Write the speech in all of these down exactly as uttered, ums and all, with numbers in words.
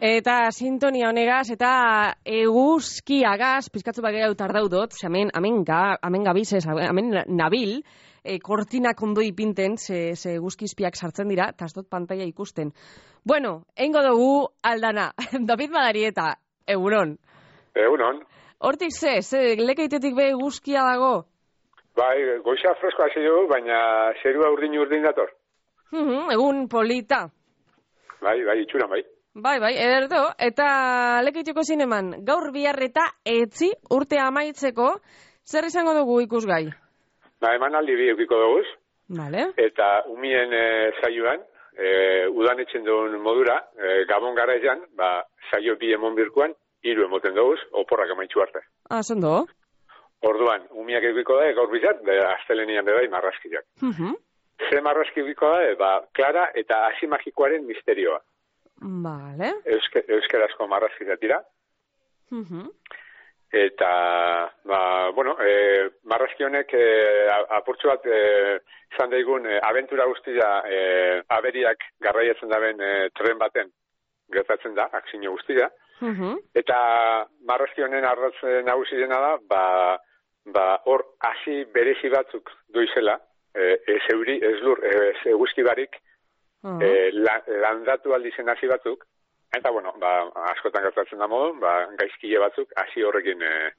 Eta sintonia honegaz, eta eguzkiagaz, pizkatzu bat gau tardaudot, ze hemen, hemen, ga, hemen gabizez, hemen nabil, e, kortinak ondo ipinten, ze, ze eguzkizpiak sartzen dira, eta ez dut pantalla ikusten. Bueno, eingo dugu aldana, David Madarieta, egunon. Egunon. Hortik ze, ze, lekeitetik be eguzkia dago? Bai, goiza freskoa ze dugu, baina zerua urdin urdin dator. Uhum, egun polita. Bai, bai, itxuran bai. Bai, bai, ederto, eta lekeiteko zineman, gaur biharreta etzi urte amaitzeko, zer izango dugu ikusgai? Ba, eman aldi bi eukiko dugu, vale. Eta umien e, saioan, e, udan etxen duen modura, e, gabon gara ezan, ba, saio bi emon birkuan, hiru emoten dugu, oporrak amaitxu arte. Ah, zondo? Orduan, umiak eukiko da, gaur bizar, astelenian bedai marrazkiak. Uh -huh. Ze marrazki eukiko da, ba, Klara eta hasi magikoaren misterioa. Vale. Euske, euskerazko marrazkiak dira. Uh -huh. Eta, ba, bueno, e, marrazki honek e, apurtzu bat e, izan daigun e, abentura guztia e, aberiak garraiatzen daben e, tren baten gertatzen da, akzio guztia. Uh -huh. Eta marrazki honen arratzen nagusi dena da, ba, ba, hor hasi berezi batzuk duizela, e, ez euri, ez lur, ez eguzki barik, Uh -huh. e, la, landatu aldizen hasi batzuk, eta bueno, ba, askotan gertatzen da modu, ba, gaizkile batzuk hasi horrekin, e,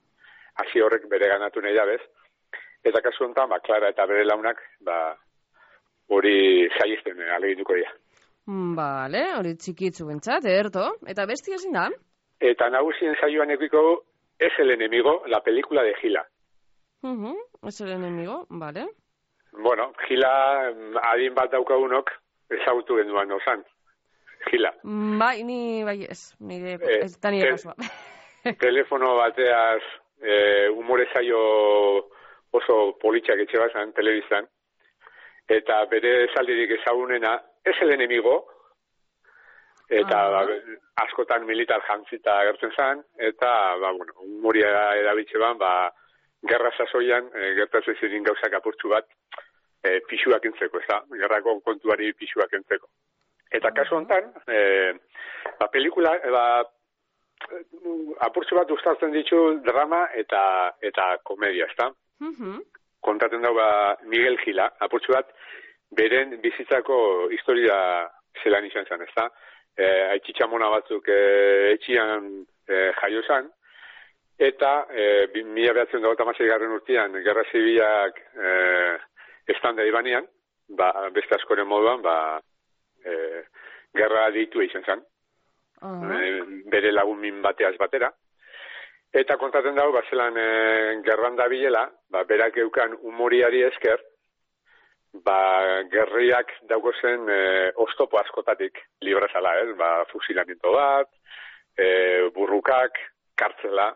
hasi horrek bere ganatu nahi dabez, eta kasu honetan, ba, Klara eta bere launak, ba, hori saizten e, alegituko dira. Vale, hori txikitzu bentsat, erto, eta besti ezin da? Eta nagusien saioan ekiko Es el enemigo, la película de Gila. Uh -huh. Es el enemigo, vale. Bueno, Gila, adin bat daukagunok, ezagutu genduan osan. Gila. Bai, ni bai ez, nire, eh, ez da nire kasua. Telefono bateaz eh, umore zaio oso politxak etxe bazan, telebiztan, eta bere esaldirik ezagunena, es el enemigo, eta ah. ba, askotan militar jantzita agertzen zen, eta, ba, bueno, umoria edabitxe ban, ba, gerra sasoian, e, gertatzen zirin gauzak apurtxu bat, E, pixuak entzeko, ez da? Gerrako kontuari pixuak entzeko. Eta kasu honetan, e, ba, pelikula, e, ba, apurtzu bat ustartzen ditu drama eta eta komedia, ez da? Uh-huh. Kontatzen dago ba, Miguel Gila, apurtzu bat, beren bizitzako historia zelan izan zen, ez da? E, Aitxitxamona batzuk e, etxian e, jaio zen, eta e, mila behatzen dago tamasei garren urtean, gerra zibilak e, estanda ibanean, ba, beste askoren moduan, ba, e, gerra ditu izan zen. Uh -huh. e, bere lagun min bateaz batera. Eta kontatzen dago, ba, zelan e, gerran da bilela, ba, berak eukan umoriari esker, ba, gerriak dauko zen e, oztopo askotatik librazala, ez? Ba, fusilamiento bat, e, burrukak, kartzela,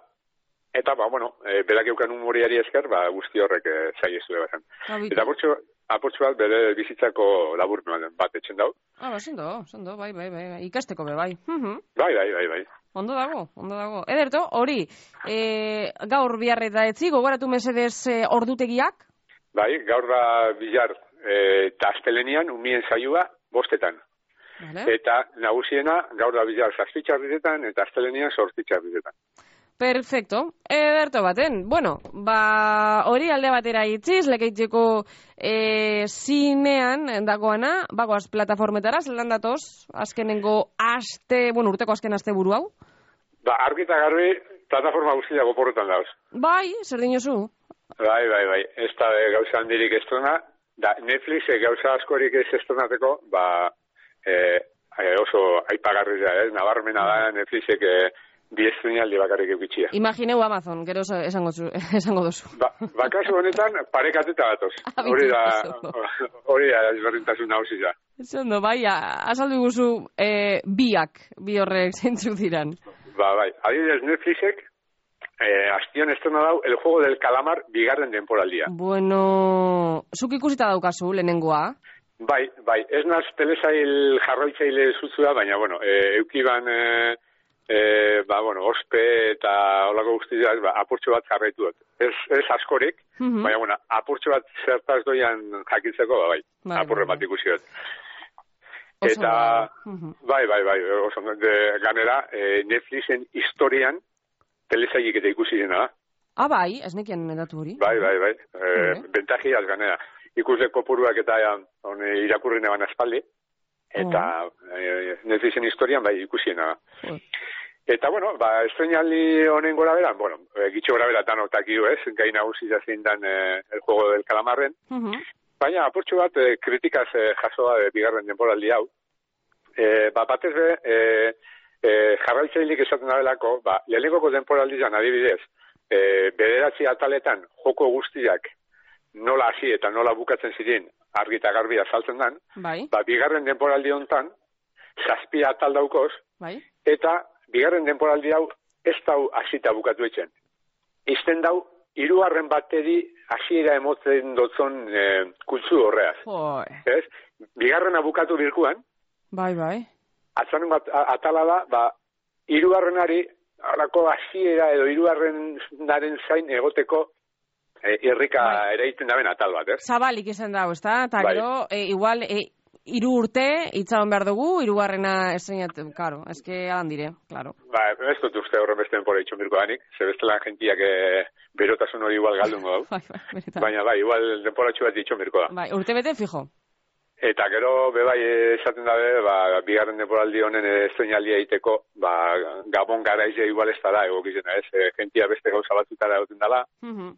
eta, ba, bueno, e, berak eukan umoriari esker, ba, guzti horrek e, zaiezu ebazan. Eta apurtxu, apurtxu bat, bere bizitzako labur bat etxen dau. Ah, ba, sendo, sendo, bai, bai, bai, ikasteko be, bai. Uh -huh. Bai, bai, bai, bai. Ondo dago, ondo dago. Ederto, hori, e, gaur biharreta etzi, gogoratu mesedez e, ordutegiak? Bai, gaur da bihar e, eta astelenian, umien saioa, bostetan. Vale. Eta nagusiena, gaur da bihar zazpitxarrizetan, eta astelenian sortitxarrizetan. Perfecto. Ederto baten. Bueno, ba, hori alde batera itziz, lekeitzeko e, zinean dagoana, bagoaz plataformetara, zelan datoz, azkenengo aste, bueno, urteko azken aste buru hau? Ba, argi eta garbi, plataforma guztia goporretan dauz. Bai, zer dinozu? Bai, bai, bai, ez da e, gauza handirik estrona, da Netflix e, gauza askorik ez estronateko, ba, e, oso aipagarri da, eh? Nabarmena da Netflixek e, bi estrenialdi bakarrik eukitxia. Imagineu Amazon, gero esango, esango duzu. Ba, bakasu honetan, parekatuta batoz. Hori da, hori da, ezberdintasun nagusi da. Zondo, bai, azaldu guzu e, biak, bi horrek zeintzuk diran. Ba, bai, adibidez Netflixek, eh, astion estrena dau, El Juego del Calamar bigarren denporaldia. Bueno, zuk ikusita daukazu, lehenengoa? Bai, bai, ez naz telesail jarroitzaile zutzua, baina, bueno, e, eukiban... E, E, ba, bueno, ospe eta holako guztiak, ba, apurtxo bat jarraitu dut. Ez, ez askorik, uh -huh. baina, bueno, apurtxo bat zertaz doian jakitzeko, ba, bai, bai apurre bat ikusi dut. Eta, bai, bai, bai, oso, de, ganera, e, Netflixen historian telesaik eta ikusi dena da. Ah, bai, ez nekien edatu hori. Bai, bai, bai, e, bentajiaz ganera. Ikusle kopuruak eta on, irakurri neban aspaldi, eta oh. e, Netflixen historian bai ikusiena da. Oh. Eta, bueno, ba, estrenaldi honen gora bera, bueno, e, gitxo gora bera tanotak iu, ez, gai nagusi zein dan e, el juego del calamarren, uh -huh. Baina, apurtxo bat, e, kritikaz e, jasoa e, bigarren denporaldi hau. E, ba, batez be, e, e, jarraitzailik esaten dabelako, ba, lehenengoko denporaldizan adibidez, e, bederatzi ataletan joko guztiak nola hasi eta nola bukatzen ziren argi eta garbi azaltzen dan, bai. Ba, bigarren denporaldi hontan, zazpi atal daukoz, bai. Eta bigarren denporaldi hau ez dau hasita bukatu etxen. Izten dau, hirugarren bateri hasiera emotzen dotzon e, kultzu horreaz. Ez? Bigarrena bukatu birkuan, bai, bai. Atzaren bat atala da, ba, hirugarrenari horako hasiera edo hirugarrenaren zain egoteko e, irrika bai. Ere iten daben atal bat, ez? Zabalik izan dago, ez da? Eta bai. Gero, e, igual, e, hiru urte itzaron behar dugu, hirugarrena estrenatu, claro, eske adan dire, claro. Ba, ez dut uste horren beste denpora itxon birko danik, zebestelan gentiak e, berotasun hori igual galdungo dau. bai, bai, baina bai, igual denpora txu bat itxon birko da. Bai, urte bete fijo. Eta gero, bebai, esaten dabe, ba, bigarren denporaldi honen estrenaldia egiteko, ba, Gabon garaizia igual ez dara, egokizena, ez, e, gentia beste gauza batzutara egoten dala, uh -huh.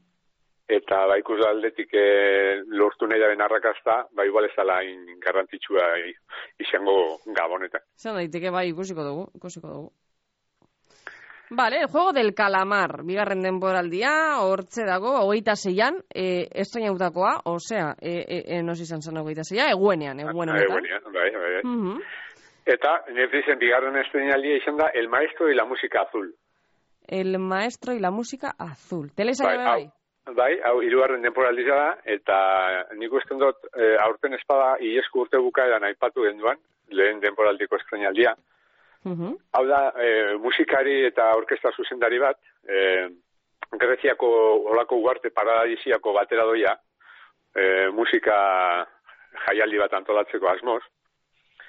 Eta ba, ikus aldetik e, lortu nahi daren arrakazta, ba, igual ez dala in garrantzitsua izango Gabonetan. Zer daiteke, bai, ikusiko dugu, ikusiko dugu. Vale, el juego del calamar, bigarren denboraldia, hortze dago, hogeita zeian, e, estreinautakoa, osea, e, e, e, nos izan zen hogeita zeia, eguenean, eguenean. Eguenean, bai, bai, bai. Uh -huh. Eta, Netflixen bigarren estreinaldia izan da El Maestro y la Música Azul. El Maestro y la Música Azul. Telesaia bai, bai? Bai, hau, hirugarren denporaldia da, eta nik usten dut, e, aurten espada, iesku urte bukaeran aipatu genduan, lehen denporaldiko estreinaldia. Uh-huh. Hau da, e, musikari eta orkestra zuzendari bat, e, Greziako olako uarte paradisiako batera doia, e, musika jaialdi bat antolatzeko asmoz.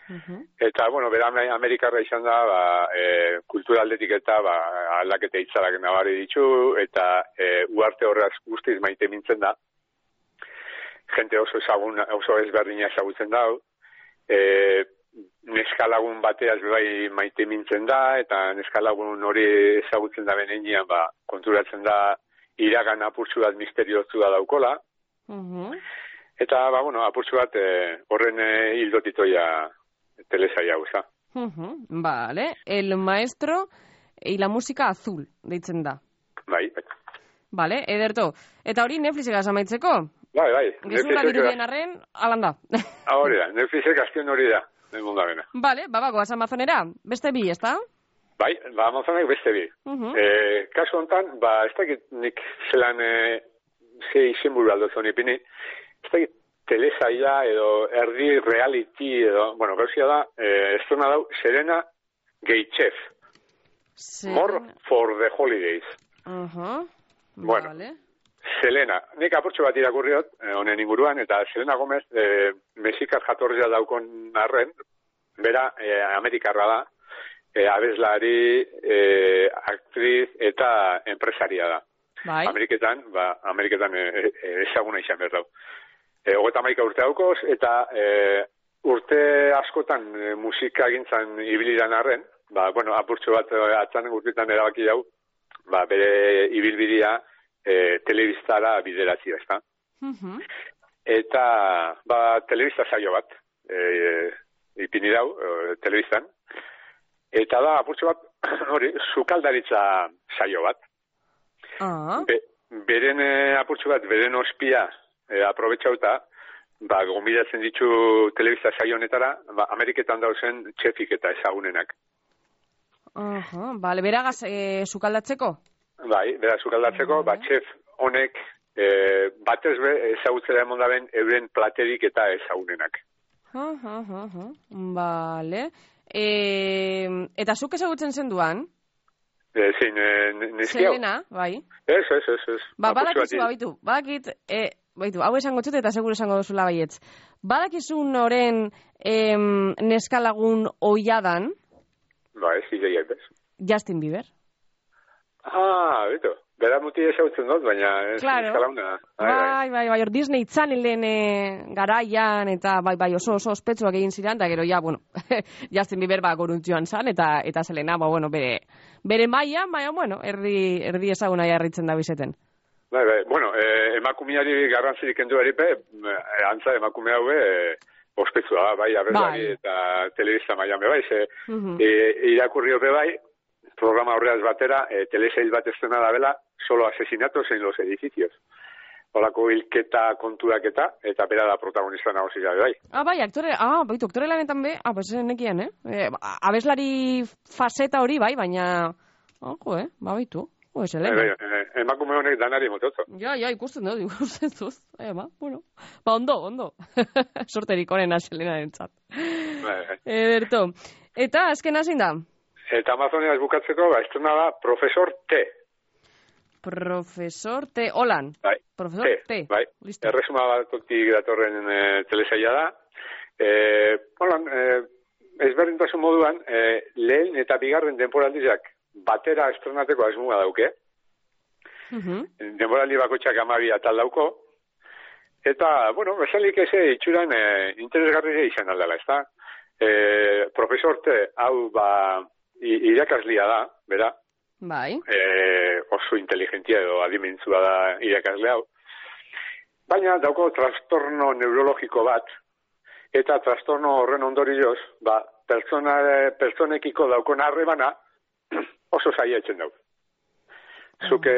Uh-huh. Eta, bueno, bera Amerikarra izan da, ba, e, kulturaldetik eta ba, aldaketa itzarak nabari ditu, eta e, uarte horraz guztiz maite mintzen da. Jente oso ezagun, oso ezberdina ezagutzen da. E, neskalagun bateaz bai maite mintzen da, eta neskalagun hori ezagutzen da benean, ba, konturatzen da iragan apurtzu bat misteriozu da daukola. Uh-huh. Eta, ba, bueno, apurtzu bat e, horren e, hildotitoia telesaia guza. Uh-huh. Vale. El Maestro y la Música Azul, deitzen da. Bai, bai. Vale, ederto. Eta hori Netflixek amaitzeko? Bai, bai. Gezula birudien arren, alanda. Hori da, Netflixek azken hori da. Vale, babako, Amazonera, beste bi, ez da? Bai, ba, Amazonek beste bi. Uh-huh. E, kasu honetan, ba, ez dakit nik zelan e, ze izenburu aldotzen ipini, ez dakit telesaia edo erdi reality edo, bueno, gauzia da, e, ez duna dau, Serena Geichef. Serena... More for the holidays. Uh-huh. Bueno, vale. Selena, nik apurtxo bat irakurriot, honen inguruan, eta Selena Gomez, e, mexikar jatorria daukon arren, bera e, amerikarra da, e, abeslari, e, aktriz eta enpresaria da. Bai. Ameriketan, ba, Ameriketan e, e, ezaguna izan behar dau. E, Ogeta maika urte daukoz, eta e, urte askotan e, musika gintzan ibiliran arren, ba, bueno, apurtxo bat atzanen urtetan erabaki dau, ba, bere ibilbidia, E, telebistara bideratzia, ez da? Uh-huh. Eta, ba, telebista saio bat, e, ipini dau, e, telebistan, eta da, apurtxo bat, hori, sukaldaritza saio bat. Uh-huh. Be, beren e, apurtxo bat, beren ospia e, aprobetxauta, ba, gombidatzen ditu telebista saio honetara, ba, Ameriketan dauzen txefik eta ezagunenak. Uh-huh. Bale, beragaz, e, sukaldatzeko? Bai, bera sukaldatzeko, uh-huh. ba, txef honek e, batez be ezagutzera emon daben euren platerik eta ezagunenak. Uh-huh, uh-huh. Bale. E, eta zuk ezagutzen zenduan? E, zein, e, neskiau? Selena, bai. Ez, ez, ez, ez. Ba, badakizu babitu, badakit, e, baitu, hau esango txut eta seguro esango duzula baietz. Badakizun oren em, neskalagun oiadan? Ba, ez ideiak bez. Justin Bieber. Ah, beto. Bera muti esautzen dut, baina ez claro. neskalauna. Bai, bai, bai, hor Disney Channelen e, garaian, eta bai, bai, oso oso ospetsuak egin ziren, eta gero, ja, bueno, Justin Bieber ba goruntxoan zan, eta eta Selena, ba, bueno, bere, bere maian, baina, bueno, erdi, erdi ezaguna jarritzen da bizeten. Bai, bai, bueno, eh, emakumeari garrantzirik kendu eripe, eh, antza emakume haue, eh, ospetsua, bai, abeslari bai. Eta telebista maian bai, ze, uh -huh. e, irakurri hobe bai, programa horreaz batera, eh, telesail bat estena da bela, solo asesinatos en los edificios. Olako hilketa kontuak eta, eta bera da protagonista nagozia bai. Ah, bai, aktore, ah, baitu, aktore lanetan be, ah, pues nekian, eh? eh abeslari faseta hori, bai, baina, ah, jo, eh, ba, baitu. Bai, bai, eh, emakume honek danari mototzo. Ja, ja, ikusten dut, ikusten dut. Eh, ba, bueno. Ba, ondo, ondo. Sorterik onena Selenaren txat. Bai, bai. Ederto. Eta, azken hazin da? Eta Amazonia bukatzeko, ba, estrena da Profesor T. Profesor T. Holan. Bai. Profesor T. T. Bai. Listo. Erresuma batotik datorren e, telesaila da. E, Holan, e, ezberdintasun moduan, e, lehen eta bigarren denporaldizak batera estrenateko asmoa dauke. Uh-huh. Denporaldi bakoitzak hamabi atal dauko. Eta, bueno, bezalik eze itxuran e, interesgarria izan aldela, ezta? E, Profesor T. hau, ba, irakaslia da, bera. Bai. E, oso inteligentia edo adimentzua da irakasle hau. Baina dauko trastorno neurologiko bat, eta trastorno horren ondorioz, ba, pertsona, pertsonekiko daukon harrebana oso zaila etzen dau. Zuke,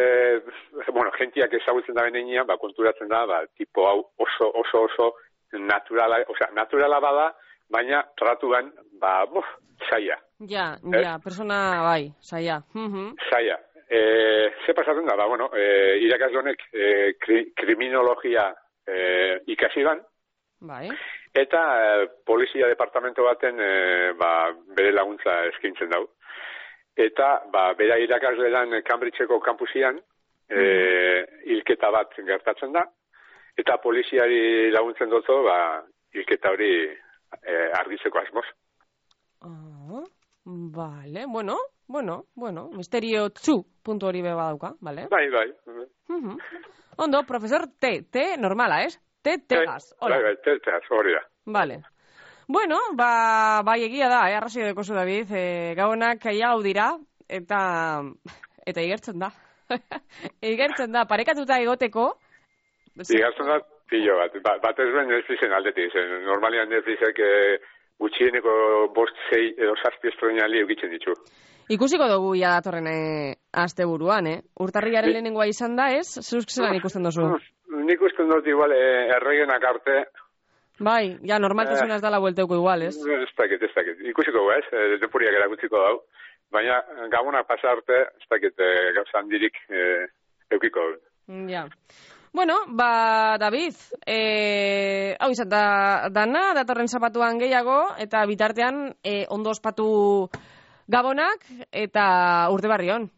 bueno, gentiak ezagutzen da benean, ba, konturatzen da, ba, tipo hau oso, oso, oso naturala, osea, naturala bada, baina tratuan, ba, buf, zaila. Ja, ja, eh? Persona, bai, zaila. Uh-huh. Zaila. E, ze pasatzen da, ba, bueno, e, irakasle honek e, kri, kriminologia e, ikasi ban, bai. Eta e, polizia departamento baten e, ba, bere laguntza eskaintzen dau. Eta, ba, bera irakasle dan Cambridgeko kampusian e, hilketa bat gertatzen da, eta poliziari laguntzen dutzo, ba, hilketa hori e, argitzeko asmoz. Ah, vale, bueno, bueno, bueno, misterio txu puntu hori beba dauka, vale? Bai, bai. Uh-huh. Ondo, profesor T, T normala, ez? T, Tegas, hola. Bai, bai, T, Tegas, hori da. Vale. Bueno, ba, bai egia da, eh, arrazio dekozu, David, eh, gaunak aia hau dira, eta, eta igertzen da. igertzen da, parekatuta egoteko. Igertzen da, pillo bat, ba, bat ez ben Netflixen aldetik, zen, normalian Netflixek eh, gutxieneko bost, zei edo zazpi estrenali eukitzen ditu. Ikusiko dugu ja datorren eh, aste buruan, eh? Urtarriaren lehenengoa izan da, ez? Zuzk zelan ikusten duzu? Nik ikusten dut igual eh, erregenak arte. Bai, ja, normaltasunaz eh, dala buelteuko igual, ez? Ez dakit, ez dakit. Ikusiko ez, eh, depuriak erakutziko dau. Baina gabonak pasa arte, ez dakit eh, gauza handirik eh, eukiko dut. Ja. Bueno, ba, David, eh, hau izan da, dana, datorren zapatuan gehiago, eta bitartean eh, ondo ospatu gabonak, eta urte barri hon.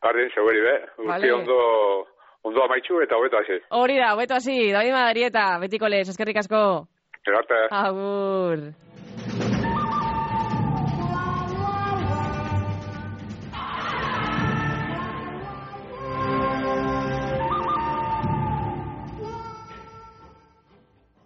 Barri, seguri be, urte vale. ondo, ondo amaitxu eta hobeto hasi. Hori da, hobeto hasi, David Madarieta, betiko lez, eskerrik asko. Egarte. Agur.